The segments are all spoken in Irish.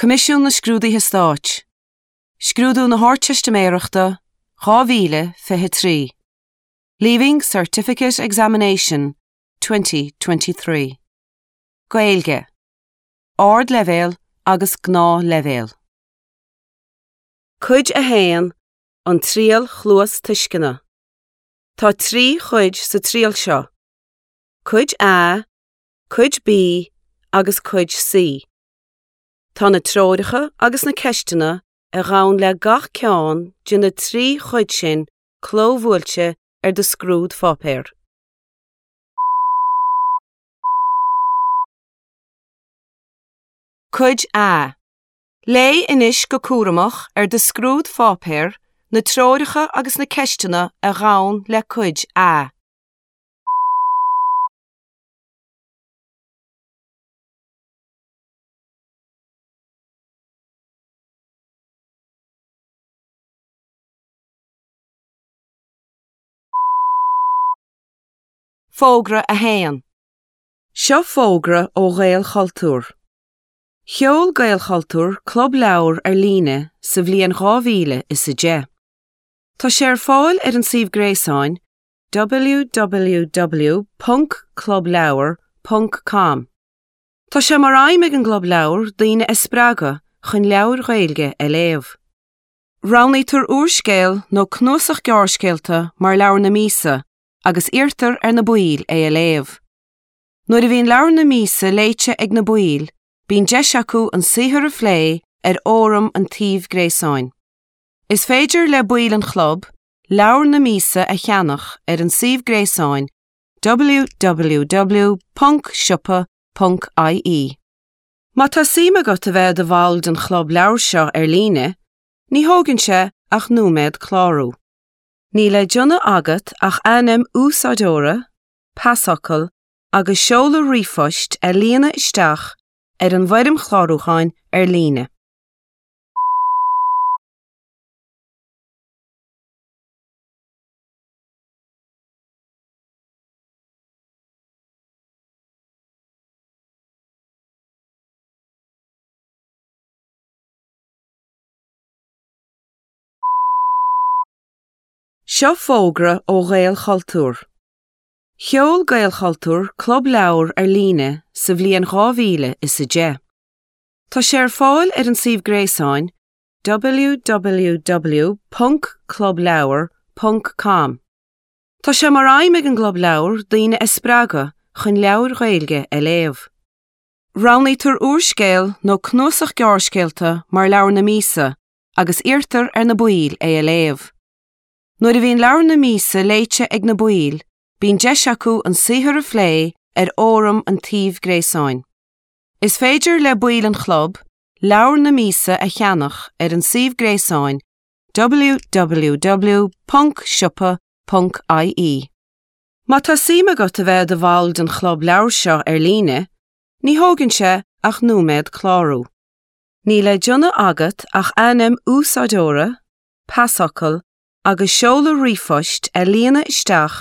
Coimisiún na Scrúduithe Stáit, Scrúdú na hArdteistiméireachta 2023, Leaving Certificate Examination 2023. Gaeilge, Ardleibhéal agus Gnáthleibhéal. Cuid 1, An Triail Chluastuisceana. Tá 3 chuid sa triail seo, Cuid A, Cuid B agus Cuid C. Tá na treoracha agus na ceisteanna a ghabhann le gach ceann de na 3 chuid sin clóbhuailte ar do scrúdpháipéar. Cuid A. Léigh anois go cúramach ar do scrúdpháipéar na treoracha agus na ceisteanna a ghabhann le Cuid A. Fógra 1. Seo fógra ó Ghaelchultúr. Sheol Gaelchultúr Club Leabhar ar líne sa bhliain 2010. Tá sé ar fáil ar an suíomh gréasáin www.clubleabhar.com. Tá sé mar aidhm ag an gClub Leabhar daoine a spreagadh chun leabhair Ghaeilge a léamh. Roghnaítear úrscéal nó cnuasach gearrscéalta mar leabhar na míosa agus iarrtar ar na baill é a léamh. Nuair a bhíonn leabhar na míosa léite ag na baill, bíonn deis acu an saothar a phlé ar fhóram an tsuímh gréasáin. Is féidir le baill an chlub leabhar na míosa a cheannach ar an suíomh gréasáin www.siopa.ie. Má tá suim agat a bheith i do bhall den chlub leabhar seo ar líne, ní thógann sé ach nóiméad clárú. Níl le déanamh agat ach ainm úsáideora, pasfhocal agus seoladh ríomhphoist a líonadh isteach ar an bhfoirm chlárúcháin ar líne. Seo fógra ó Ghaelchultúr. Sheol Gaelchultúr Club Leabhar ar líne sa bhliain 2010. Tá sé ar fáil ar an suíomh gréasáin www.clubleabhar.com. Tá sé mar aidhm ag an gClub Leabhar daoine a spreagadh chun leabhair Ghaeilge a léamh. Roghnaítear úrscéal nó cnuasach gearrscéalta mar leabhar na míosa agus iarrtar ar na baill é a léamh. Nuair a bhíonn leabhar na míosa léite ag na baill, bíonn deis acu an saothar a phlé ar fhóram an tsuímh gréasáin. Is féidir le baill an chlub leabhar na míosa a cheannach ar an suíomh gréasáin www.siopa.ie. Má tá suim agat a bheith i do bhall den chlub leabhar seo ar líne, ní thógann sé ach nóiméad clárú. Níl le déanamh agat ach ainm úsáideora, pasfhocal agus seoladh ríomhphoist a líonadh isteach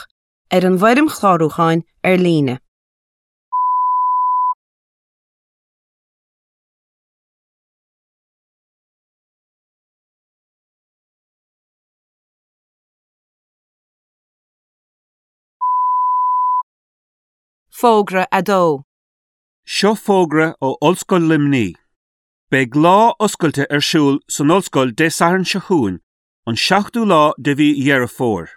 ar an bhfoirm chlárúcháin ar líne. Fógra 2. Seo fógra ó Ollscoil Luimnigh. Beidh lá oscailte ar siúl san Ollscoil Dé Sathairn seo chugainn, an 7ú lá de mhí Dheireadh Fómhair.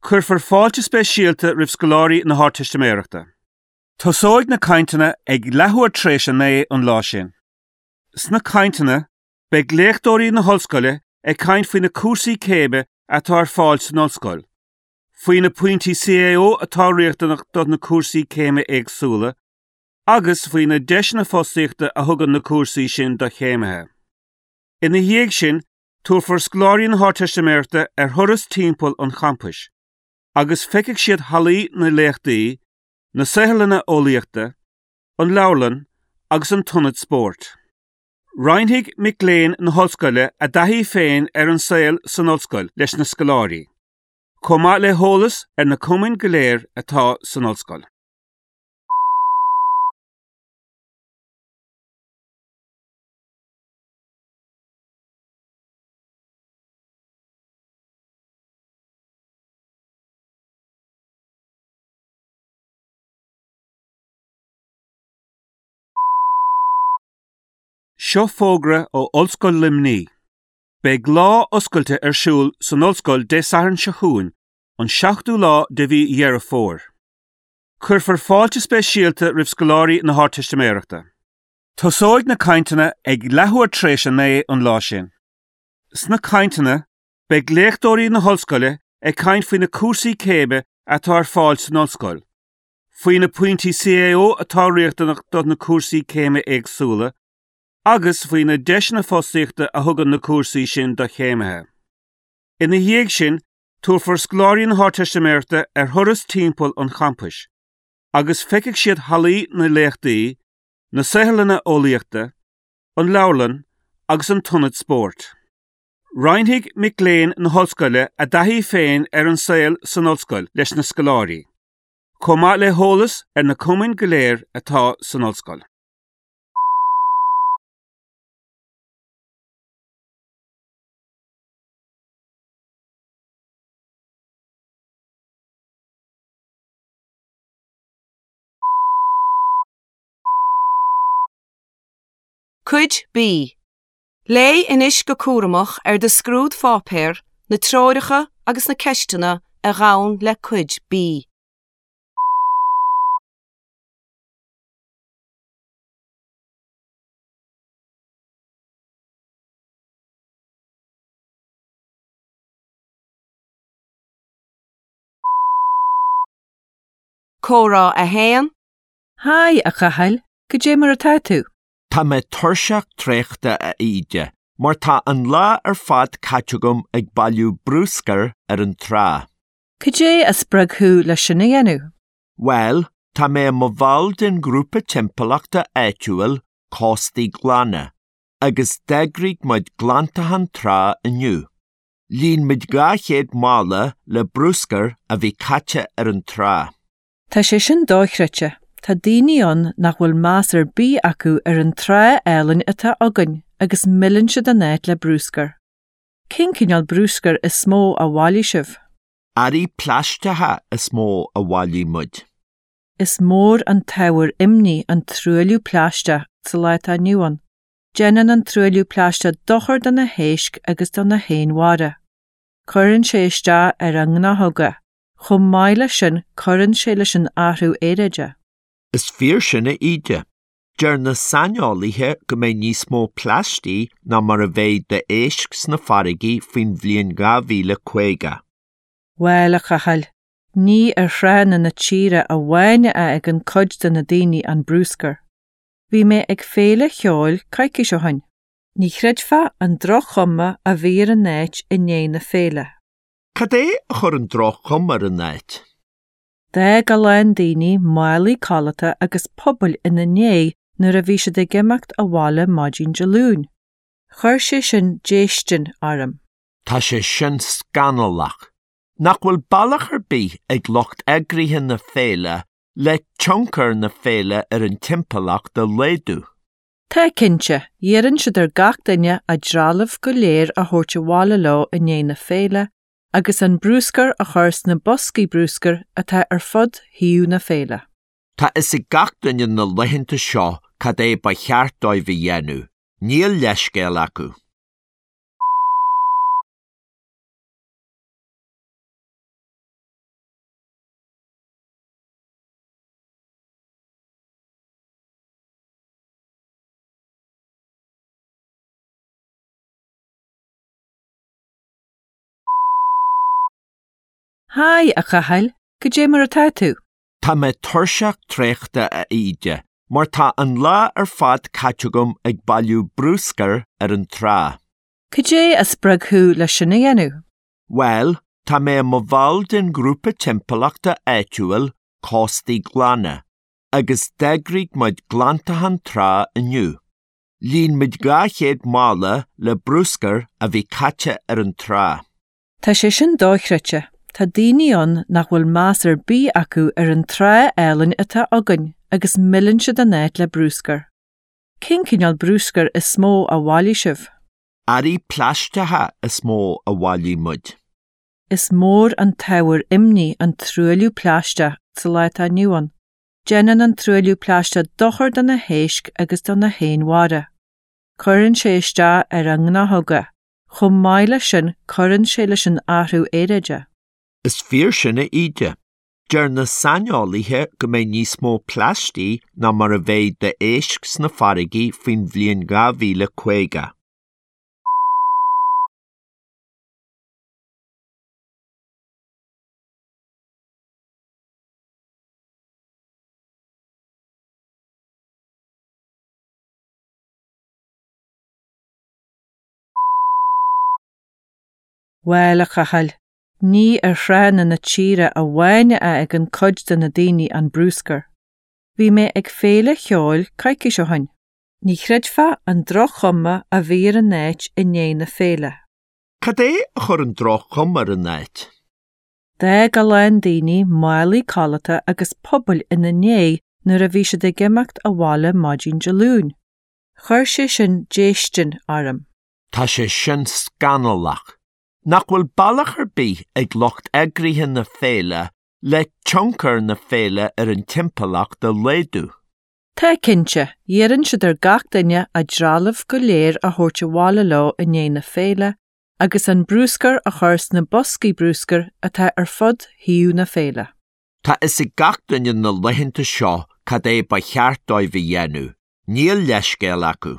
Cuirfear fáilte speisialta roimh scoláirí na hArdteistiméireachta. Tosóidh na cainteanna ag leathuair tar éis a 9 an lá sin. Sna cainteanna, beidh léachtóirí na hOllscoile ag caint faoi na cúrsaí céime atá ar fáil san Ollscoil, faoi na pointí CAO atá riachtanach do na cúrsaí céime éagsúla agus faoi na deiseanna fostaíochta a thugann na cúrsaí sin do chéimithe. Ina dhiaidh sin, tabharfar scoláirí na hArdteistiméireachta ar thuras timpeall an champais agus feicfidh siad hallaí na léachtaí, na saotharlanna eolaíochta, an leabharlann agus an t-ionad spóirt. Roinnfidh mic léinn na hOllscoile a dtaithí féin ar an saol san Ollscoil leis na scoláirí, chomh maith le heolas ar na cumainn go léir atá san Ollscoil. Seo fógra ó Ollscoil Luimnigh. Beidh lá oscailte ar siúl san Ollscoil Dé Sathairn seo chugainn, an 7ú lá de mhí Dheireadh Fómhair. Cuirfear fáilte speisialta roimh scoláirí na hArdteistiméireachta. Tosóidh na cainteanna ag leathuair tar éis a 9 an lá sin. Sna cainteanna, beidh léachtóirí na hOllscoile ag caint faoi na cúrsaí céime atá ar fáil san Ollscoil, faoi na pointí CAO atá riachtanach do na cúrsaí céime éagsúla agus faoi na deiseanna fostaíochta a thugann na cúrsaí sin do chéimithe. Ina dhiaidh sin, tabharfar scoláirí na hArdteistiméireachta ar thuras timpeall an champais agus feicfidh siad hallaí na léachtaí, na saotharlanna eolaíochta, an leabharlann agus an t-ionad spóirt. Roinnfidh mic léinn na hOllscoile a dtaithí féin ar an saol san Ollscoil leis na scoláirí, chomh maith le heolas ar na cumainn go léir atá san Ollscoil. Cuid B. Léigh anois go cúramach ar do scrúdpháipéar na treoracha agus na ceisteanna a ghabhann le Cuid B. Comhrá 1. Haigh, a Chathail, cad é mar atá tú? Tá mé tuirseach traochta, a Íde, mar tá an lá ar fad caite agam ag bailiú bruscair ar an trá. Cad é a spreag thú le sin a dhéanamh? Bhuel, tá mé i mo bhall den ghrúpa timpeallachta áitiúil, Cóstaí Glana, agus d'eagraigh muid glantachán trá inniu. Líon muid 200 mála le bruscar a bhí caite ar an trá. Tá sé sin dochreidte. Tá daoine ann nach bhfuil meas ar bith acu ar an trá álainn atá againn agus milleann siad an áit le bruscar. Cén cineál bruscair is mó a bhailigh sibh? Earraí plaisteacha is mó a bhailigh muid. Is mór an t-ábhar imní an truailliú plaisteach sa lá atá inniu ann. Déanann an truailliú plaisteach dochar do na héisc agus do na héin mhara. Cuireann sé isteach ar a ngnáthóga. Chomh maith leis sin, cuireann sé leis an athrú aeráide. Is fíor sin, a Íde. Deir na saineolaithe go mbeidh níos mó plaistigh ná mar a bheidh d'éisc sna farraigí faoin bhliain 2050. Bhuel, a Chathail, ní ar thránna na tíre amháin a fhágann cuid de na daoine an bruscar. Bhí mé ag féile cheoil coicís ó shin. Ní chreidfeá an droch-chuma a bhí ar an áit i ndiaidh na féile. Cad é a chuir an droch-chuma ar an áit? D'fhág a lán daoine málaí codlata agus pubaill ina ndiaidh nuair a bhí siad ag imeacht abhaile maidin Dé Luain. Chuir sé sin déistin orm. Tá sé sin scannalach. Nach bhfuil bealach ar bith ag lucht eagraithe na féile le tionchar na féile ar an timpeallacht a laghdú? Tá, cinnte. Iarrann siad ar gach duine a dtrealamh go léir a thabhairt abhaile leo i ndiaidh na féile agus an bruscar a chur sna boscaí bruscair atá ar fud shuíomh na féile. Tá fhios ag gach duine na laethanta seo cad é ba cheart dóibh a dhéanamh, níl leithscéal acu. Haigh, a Chathail, cad é mar atá tú? Tá mé tuirseach traochta, a Íde, mar tá an lá ar fad caite agam ag bailiú bruscair ar an trá. Cad é a spreag thú le sin a dhéanamh? Bhuel, tá mé i mo bhall den ghrúpa timpeallachta áitiúil, Cóstaí Glana, agus d'eagraigh muid glantachán trá inniu. Líon muid 200 mála le bruscar a bhí caite ar an trá. Tá sé sin dochreidte. Tá daoine ann nach bhfuil meas ar bith acu ar an trá álainn atá againn agus milleann siad an áit le bruscar. Cén cineál bruscair is mó a bhailigh sibh? Earraí plaisteacha is mó a bhailigh muid. Is mór an t-ábhar imní an truailliú plaisteach sa lá atá inniu ann. Déanann an truailliú plaisteach dochar do na héisc agus do na héin mhara. Cuireann sé isteach ar ár ngnáthóga. Chomh maith leis sin cuireann sé leis an athrú aeráide. Is fíor sin, a Íde. Deir na saineolaithe go mbeidh níos mó plaistigh ná mar a bheidh d'éisc sna farraigí faoin bhliain 2050. Bhuel, a Chathail, ní ar thránna na tíre amháin a fhágann cuid de na daoine an bruscar. Bhí mé ag féile cheoil coicís ó shin. Ní chreidfeá an droch-chuma a bhí ar an áit i ndiaidh na féile. Cad é a chuir an droch-chuma ar an áit? D'fhág a lán daoine málaí codlata agus pubaill ina ndiaidh nuair a bhí siad ag imeacht abhaile maidin Dé Luain. Chuir sé sin déistin orm. Tá sé sin scannalach. Nach bhfuil bealach ar bith ag lucht eagraithe na féile le tionchar na féile ar an timpeallacht a laghdú? Tá, cinnte. Iarrann siad ar gach duine a dtrealamh go léir a thabhairt abhaile leo i ndiaidh na féile agus an bruscar a chur sna boscaí bruscair atá ar fud shuíomh na féile. Tá fhios ag gach duine na laethanta seo cad é ba cheart dóibh a dhéanamh, níl leithscéal acu.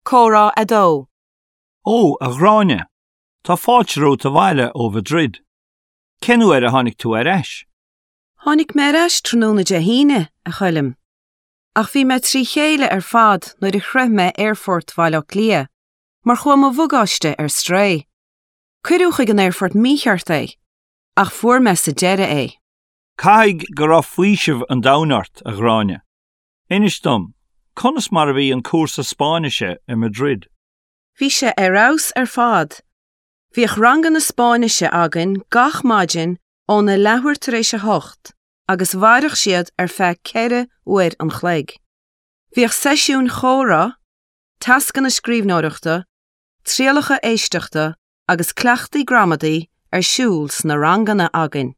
Comhrá 2. Ó, a Ghráinne, tá fáilte romhat abhaile ó Mhadrid. Cén uair a tháinig tú ar ais? Tháinig mé ar ais tráthnóna Dé hAoine, a Choilm. Ach bhí mé trí chéile ar fad nuair a shroich mé Aerfort Bhaile Átha Cliath, mar chuaigh mo bhagáiste ar strae. Cuireadh chuig an aerfort mícheart é, ach fuair mé sa deireadh é. Caithfidh go raibh faoiseamh an domhain ort, a Ghráinne. Inis dom, conas mar a bhí an cúrsa Spáinnise i Madrid? Bhí sé ar fheabhas ar fad. Bhíodh ranganna Spáinnise againn gach maidin óna leathuair tar éis a hocht agus mhaireadh siad ar feadh ceithre uair an chloig. Bhíodh seisiúin chomhrá, tascanna scríbhneoireachta, trialacha éisteachta agus cleachtaí gramadaí ar siúl sna ranganna againn.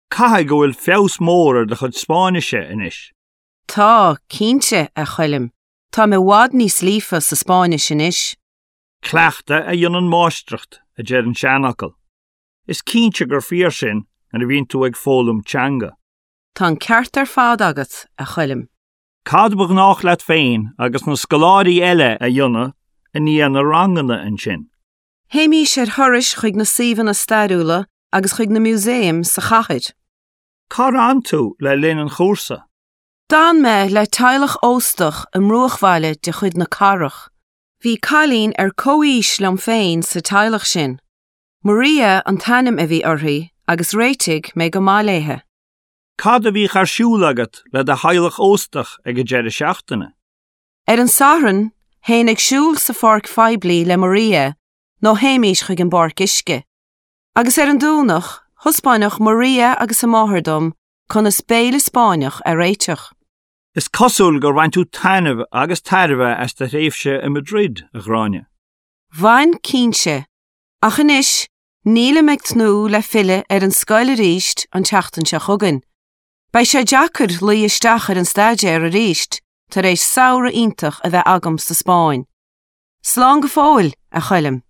Caithfidh go bhfuil feabhas mór ar do chuid Spáinnise anois. Tá, cinnte, a Choilm. Táim i bhfad níos líofa sa Spáinnis anois. Cleachtadh a dhéanann máistreacht, a deir an seanfhocal. Is cinnte gur fíor sin nuair a bhíonn tú ag foghlaim teanga. Tá an ceart ar fad agat, a Choilm. Cad ba ghnách leat féin agus na scoláirí eile a dhéanamh i ndiaidh na ranganna ansin? Théimís ar thurais chuig na suíomhanna stairiúla agus chuig na músaeim sa chathair. Cár fhan tú le linn an chúrsa? D'fhan mé le teaghlach óstach i mbruachbhaile de chuid na cathrach. Bhí cailín ar comhaois liom féin sa teaghlach sin. Maria an t-ainm a bhí uirthi agus réitigh mé go maith léithe. Cad a bhíodh ar siúl agat le do theaghlach óstach ag an deireadh seachtaine? Ar an Satharn, théinn ag siúl sa pháirc phoiblí le Maria nó théimís chuig an bpáirc uisce. Agus ar an Domhnach, thaispeánfadh Maria agus a máthair dom conas béile Spáinneach a réiteach. Is cosúil gur bhain tú taitneamh agus tairbhe as do thréimhse i Madrid, a Ghráinne. Bhain, cinnte. Ach anois, nílim ag tnúth le filleadh ar an scoil arís an tseachtain seo chugainn. Beidh sé deacair luí isteach ar an staidéar arís tar éis samhradh iontach a bheith agam sa Spáinn. Slán go fóill, a Choilm.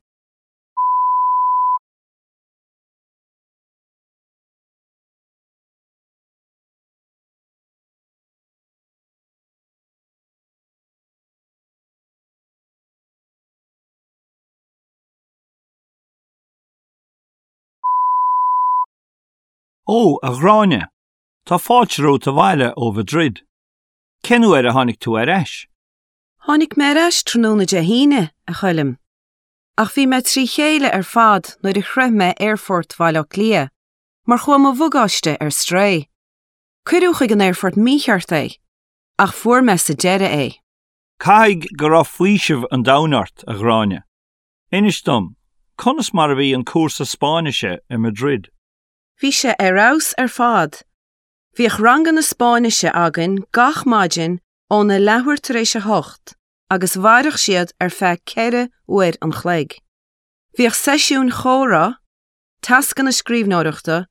Ó, a Ghráinne, tá fáilte romhat abhaile ó Mhadrid. Cén uair a tháinig tú ar ais? Tháinig mé ar ais tráthnóna Dé hAoine, a Choilm. Ach bhí mé trí chéile ar fad nuair a shroich mé Aerfort Bhaile Átha Cliath. mar chuaigh mo bhagáiste ar strae. Cuireadh chuig an aerfort mícheart é, ach fuair mé sa deireadh é. Caithfidh go raibh faoiseamh an domhain ort, a Ghráinne. Inis dom, conas mar a bhí an cúrsa Spáinnise i Madrid? Bhí sé ar fheabhas ar fad. Bhíodh ranganna Spáinnise againn gach maidin óna leathuair tar éis a hocht. agus mhaireadh siad ar feadh 4 uair an chloig. Bhíodh seisiúin chomhrá, tascanna scríbhneoireachta,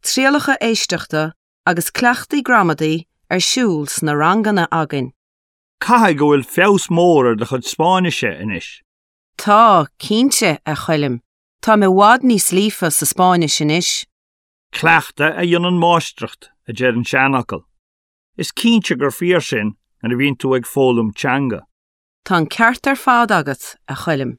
trialacha éisteachta agus cleachtaí gramadaí ar siúl sna ranganna againn. Caithfidh go bhfuil feabhas mór ar do chuid Spáinnise anois. Tá, cinnte, a Choilm, táim i bhfad níos líofa sa Spáinnis anois. Cleachtadh a dhéanann máistreacht, a deir an seanfhocal. Is cinnte gur fíor sin nuair a bhíonn tú ag foghlaim teanga. Tá an ceart ar fad agat, a Choilm.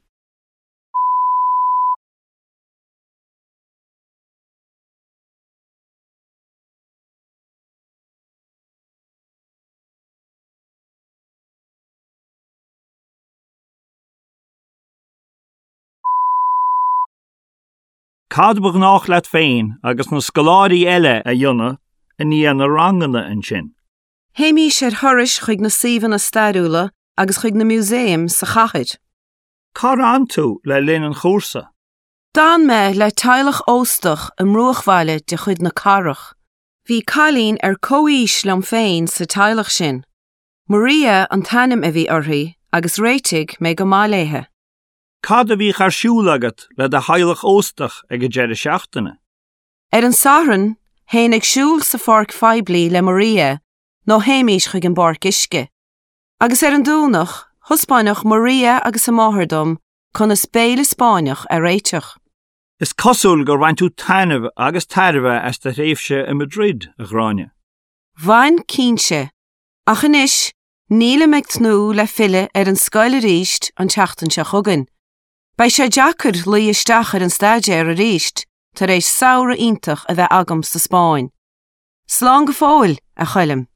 Cad ba ghnách leat féin agus na scoláirí eile a dhéanamh i ndiaidh na ranganna ansin? Théimís ar thurais chuig na suíomhanna stairiúla agus chuig na músaeim sa chathair. Cár fhan tú le linn an chúrsa? D'fhan mé le teaghlach óstach i mbruachbhaile de chuid na cathrach. Bhí cailín ar comhaois liom féin sa teaghlach sin. Maria an t-ainm a bhí uirthi agus réitigh mé go maith léithe. Cad a bhíodh ar siúl agat le do theaghlach óstach ag an deireadh seachtaine? Ar an Satharn, théinn ag siúl sa pháirc phoiblí le Maria nó théimís chuig an bpáirc uisce. Agus ar an Domhnach, thaispeánfadh Maria agus a máthair dom conas béile Spáinneach a réiteach. Is cosúil gur bhain tú taitneamh agus tairbhe as do thréimhse i Madrid, a Ghráinne. Bhain, cinnte. Ach anois, Nílim ag tnúth le filleadh ar an scoil arís an tseachtain seo chugainn. Beidh sé deacair luí isteach ar an staidéar arís tar éis samhradh iontach a bheith agam sa Spáinn. Slán go fóill, a Choilm.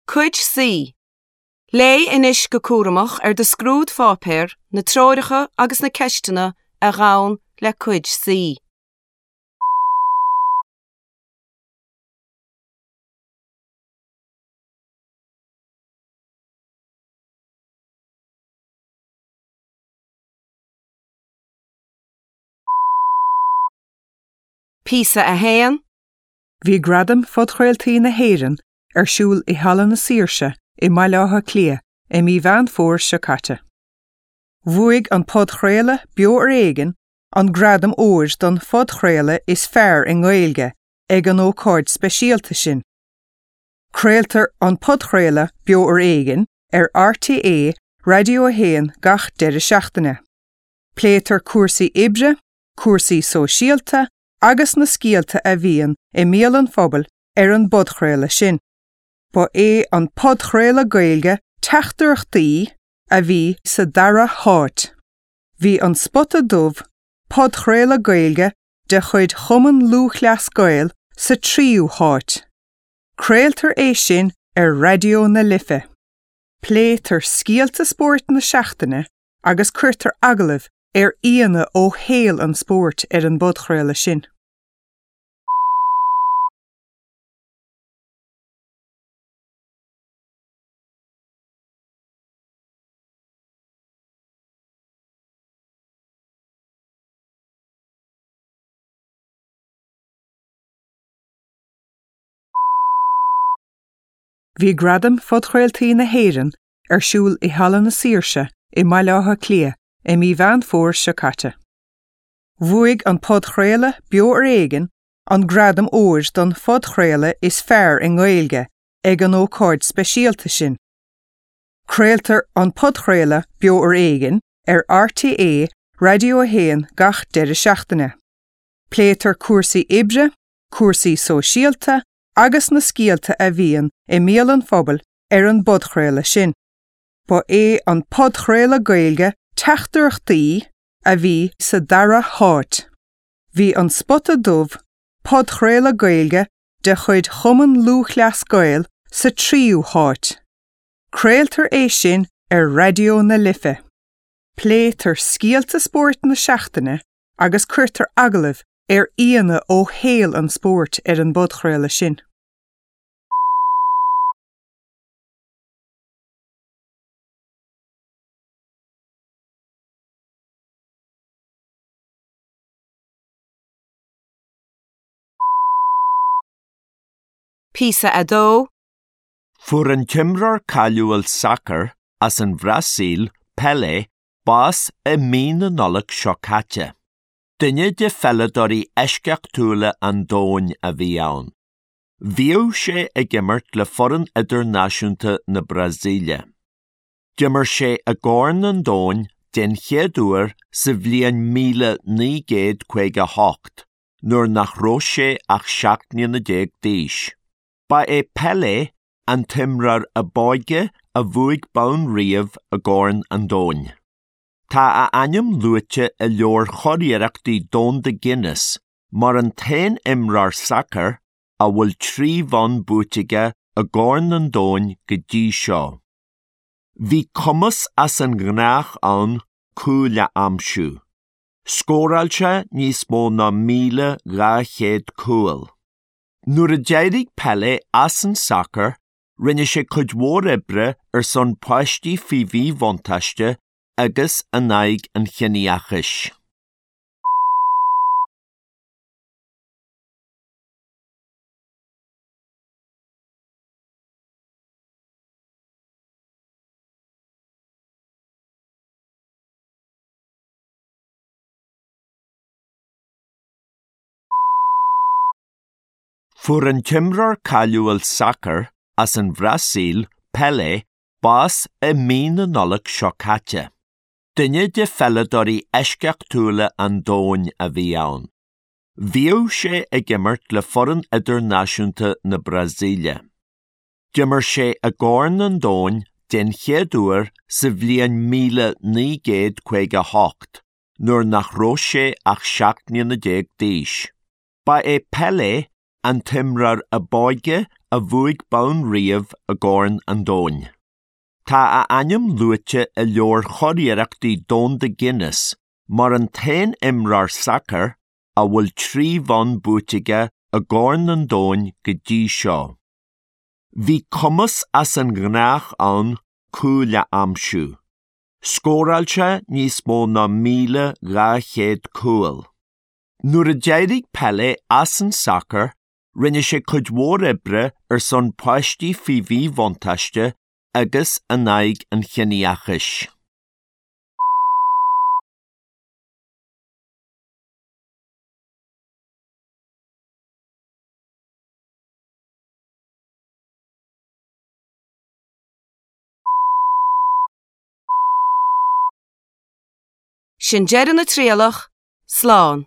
Cuid C. Léigh anois go cúramach ar do scrúdpháipéar na treoracha agus na ceisteanna a ghabhann le Cuid C. Píosa 1. Bhí Gradaim Phodchraoltaí na hÉireann ar siúl i Halla na Saoirse i mBaile Átha Cliath i mí Mheán Fómhair seo caite. Bhuaigh an podchraoladh Beo Ar Éigean an gradam óir don phodchraoladh is fearr i nGaeilge ag an ócáid speisialta sin. Craoltar an podchraoladh Beo Ar Éigean ar RTÉ Raidió 1 gach deireadh seachtaine. Pléitear cúrsaí oibre, cúrsaí sóisialta agus na scéalta a bhíonn i mbéal an phobail ar an bpodchraoladh sin. Ba é an podchraoladh Gaeilge Teachtaireachtaí a bhí sa dara háit. Bhí An Spota Dubh, podchraoladh Gaeilge de chuid Chumann Lúthchleas Gael sa tríú háit. Craoltar é sin ar Raidió na Life. Pléitear scéalta spóirt na seachtaine agus cuirtear agallaimh ar aíonna ó shaol an spóirt ar an bpodchraoladh sin. Bhí Gradaim Phodchraoltaí na hÉireann ar siúl i Halla na Saoirse i mBaile Átha Cliath i mí Mheán Fómhair seo caite. Bhuaigh an podchraoladh Beo Ar Éigean an gradam óir don phodchraoladh is fearr i nGaeilge ag an ócáid speisialta sin. Craoltar an podchraoladh Beo Ar Éigean ar RTÉ Raidió 1 gach deireadh seachtaine. Pléitear cúrsaí oibre, cúrsaí sóisialta agus na scéalta a bhíonn i mbéal an phobail ar an bpodchraoladh sin. Ba é an podchraoladh Gaeilge Teachtaireachtaí a bhí sa dara háit. Bhí An Spota Dubh, podchraoladh Gaeilge de chuid Chumann Lúthchleas Gael sa tríú háit. Craoltar é sin ar Raidió na Life. Pléitear scéalta spóirt na seachtaine agus cuirtear agallaimh ar aíonna ó shaol an spóirt ar an bpodchraoladh sin. Píosa 2. Fuair an t-imreoir cáiliúil sacair as an Bhrasaíl, Pelé, bás i mí na Nollag seo caite. Duine de pheileadóirí eisceachtúla an domhain a bhí ann. Bhíodh sé ag imirt le foireann idirnáisiúnta na Brasaíle. D'imir sé i gCorn an Domhain den chéad uair sa bhliain 1958 nuair nach raibh sé ach 17 mbliana d'aois. Ba é Pelé an t-imreoir ab óige a bhuaigh bonn riamh i gCorn an Domhain. Tá a ainm luaite i Leabhar Churiarrachtaí Domhanda Guinness mar an t-aon imreoir sacair a bhfuil 3 bhonn buaite aige i gCorn an Domhain go dtí seo. Bhí cumas as an ngnách ann cúil a aimsiú. Scóráil sé níos mó ná 1,200 cúl. Nuair a d'éirigh Pelé as an sacar, rinne sé cuid mhór oibre ar son páistí faoi mhíbhuntáiste agus in aghaidh an chiníochais. Fuair an t-imreoir cáiliúil sacair as an Bhrasaíl, Pelé, bás i mí na Nollag seo caite. Duine de pheileadóirí eisceachtúla an domhain a bhí ann. Bhíodh sé ag imirt le foireann idirnáisiúnta na Brasaíle. D'imir sé i gCorn an Domhain den chéad uair sa bhliain 1958 nuair nach raibh sé ach 17 mbliana d'aois. Ba é Pelé an t-imreoir ab óige a bhuaigh bonn riamh i gCorn an Domhain. Tá a ainm luaite i Leabhar Churiarrachtaí Domhanda Guinness mar an t-aon imreoir sacair a bhfuil 3 bhonn buaite aige i gCorn an Domhain go dtí seo. Bhí cumas as an ngnách ann cúil a aimsiú. Scóráil sé níos mó ná 1,200 cúl. Nuair a d'éirigh Pelé as an sacar, rinne sé cuid mhór oibre ar son páistí faoi mhíbhuntáiste agus in aghaidh an chiníochais. Sin deireadh na trialach. Slán.